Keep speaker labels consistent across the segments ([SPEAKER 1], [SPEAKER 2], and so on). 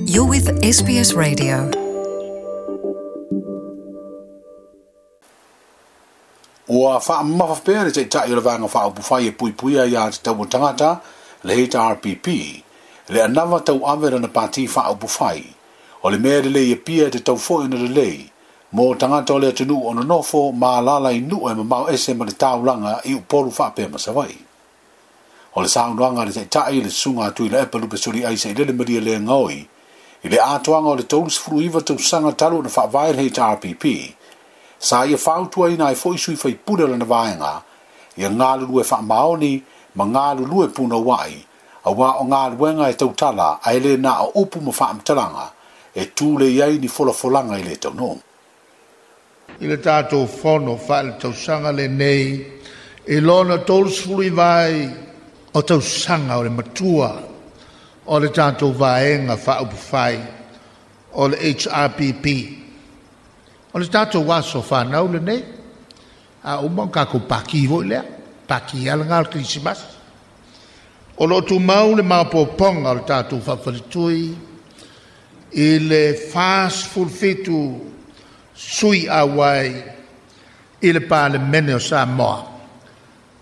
[SPEAKER 1] You're with SBS Radio. Ua faamamafa pea le Taitai o le Vaega Faaupufai e Puipuia Aia Tatau a Tagata, le HRPP, le anava tauave lana pati faaupufai. O le mea lelei e pia e tatau foi ona lelei mo tagata o le atunuu o nonofo ma alaala i nuu e mamao ese ma le taulaga i Upolu faapea ma Savaii. O le saunoaga a le Taitai, le Susuga a Tuilaepa Lupe Soliai Sailele Malielegaoi, i le atoaga o le 39 tausaga talu ona faavae le HRPP, sa ia fautuaina ai foi sui faipule o lana vaega ia galulue faamaoni ma galulue punouai, aua o galuega e tautala ae le na o upu ma faamatalaga e tulei ai ni folafolaga i le taunuu.
[SPEAKER 2] I le tatou fono faaletausaga lenei i lona 39 ai o tausaga o le matua o le tatou vaega faaupufai o le HRPP. O le tatou aso fanau lenei, a uma o tatou paki foi lea, paki lava lena o le Kerisimasi. O lo o tumau le maopoopoga o le tatou faafaletui i le 47 sui auai i le Palemene o Samoa.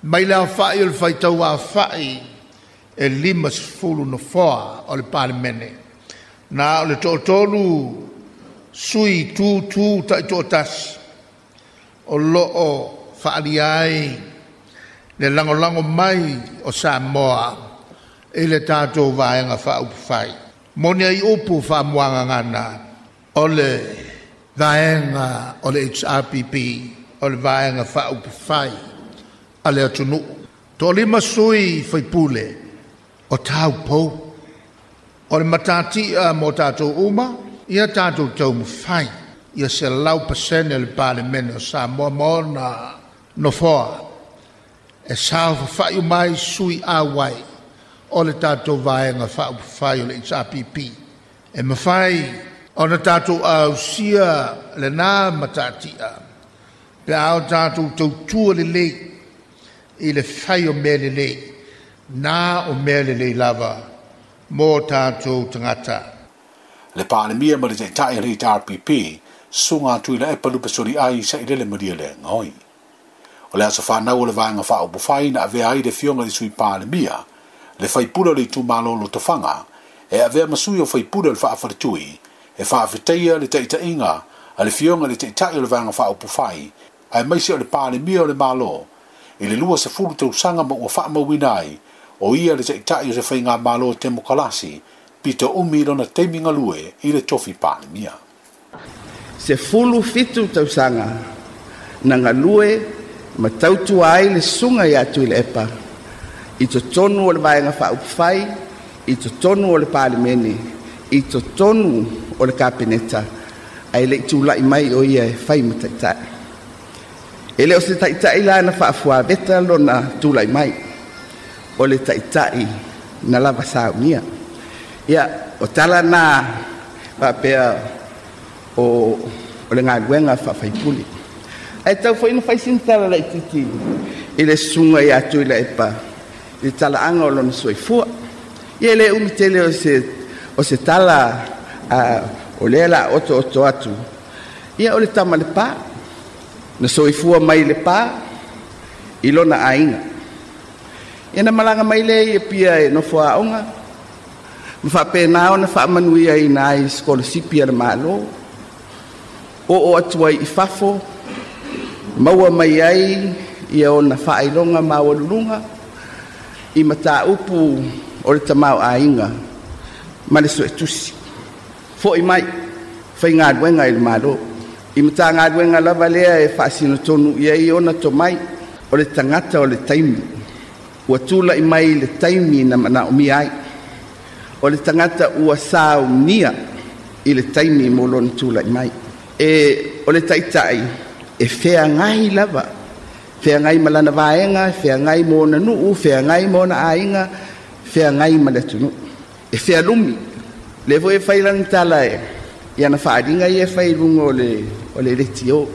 [SPEAKER 2] Mai le aofai o le faitau aofai e 50 nofoa o le Palemene. Na o le toatolu sui tutu taitoatasi o lo o faaalia ai le lagolago mai o Samoa i le tatou vaega faaupufai. Moni ai upu faamuagagana o le vaega o le HRPP, o le vaega faaupufai a le atunuu. Toalima sui faipule o taupou. O le matatia mo tatou uma, ia tatou taumafai ia 100% le Palemene o Samoa ma ona nofoa e saofafai uma ai sui auai o le tatou vaega faaupufai o le HRPP. E mafai ona tatou ausia lena matatia pe a o tatou tautua lelei i le fai o mea lelei, na o mea lelei lava mo tatou tagata.
[SPEAKER 1] Le Palemia ma le Taitai o le HRPP, Susuga Tuilaepa Lupesoliai Sailele Malielegaoi. O le aso fanau o le Vaega Faaupufai na avea ai le Afioga i le Sui Palemia, le faipule o le itumalo o Lotofaga, e avea ma sui o faipule o le Faafaletui, e faafetaia le taitaiga a le Afioga i le Taitai o le Vaega Faaupufai aemaise o le Palemia o le Malo i le 20 tausaga ma ua faamauina ai o ia le Taitai o se faigamalo temokalasi pito umi lona taimi galue i le tofi Palemia.
[SPEAKER 3] 17 tausaga na galue ma tautua ai le susuga ia Tuilaepa i totonu o le Vaega Faaupufai, i totonu o le Palemene, i totonu o le Kapeneta, ae le i tulai mai o ia e fai ma taitai. E le o se taitai la na faafuaveta lona tulai mai, o le taitai na lava saunia. Ia, o tala na faapea o le galuega faafaipule. Ae tau foi na fai sina tala laitiiti i le susuga ia Tuilaepa i le talaaga o lona soifua. Ia e le umi tele o se tala o lea la otooto atu. Ia o le tama le pa, na soifua mai le pa i lona aiga. Ia na malaga mai lea i Apia e nofo aoga, ma faapena ona faamanuia ina ai sikolasipi a le Malo, oo atu ai i fafo, maua mai ai ia ona faailoga maualuluga i mataupu o le tamaoaiga ma le suetusi. Foi mai, faigaluega i le Malo. I matagaluega lava lea e faasinotonu i ai ona tomai, o le tagata o le taimi, ua tulai mai le taimi na manaomia ai. O le tagata ua saunia i le taimi mo lona tulai mai. E o le taitai e feagai lava, feagai ma lana vaega, feagai mo ona nuu, feagai mo ona aiga, feagai ma le atunuu. E fealumi, le foi e fai lana tala e ia na faaaliga ia e fai i luga o le letio.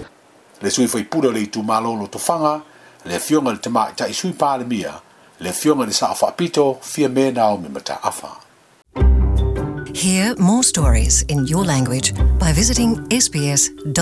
[SPEAKER 1] Le sui faipule o le itumalo o Lotofaga, le Afioga i le Tamaitai Sui Palemia, le Afioga i le Sao Faapito, Fiame Naomi Mataafa.
[SPEAKER 4] Hear more stories in your language by visiting sbs.com.au.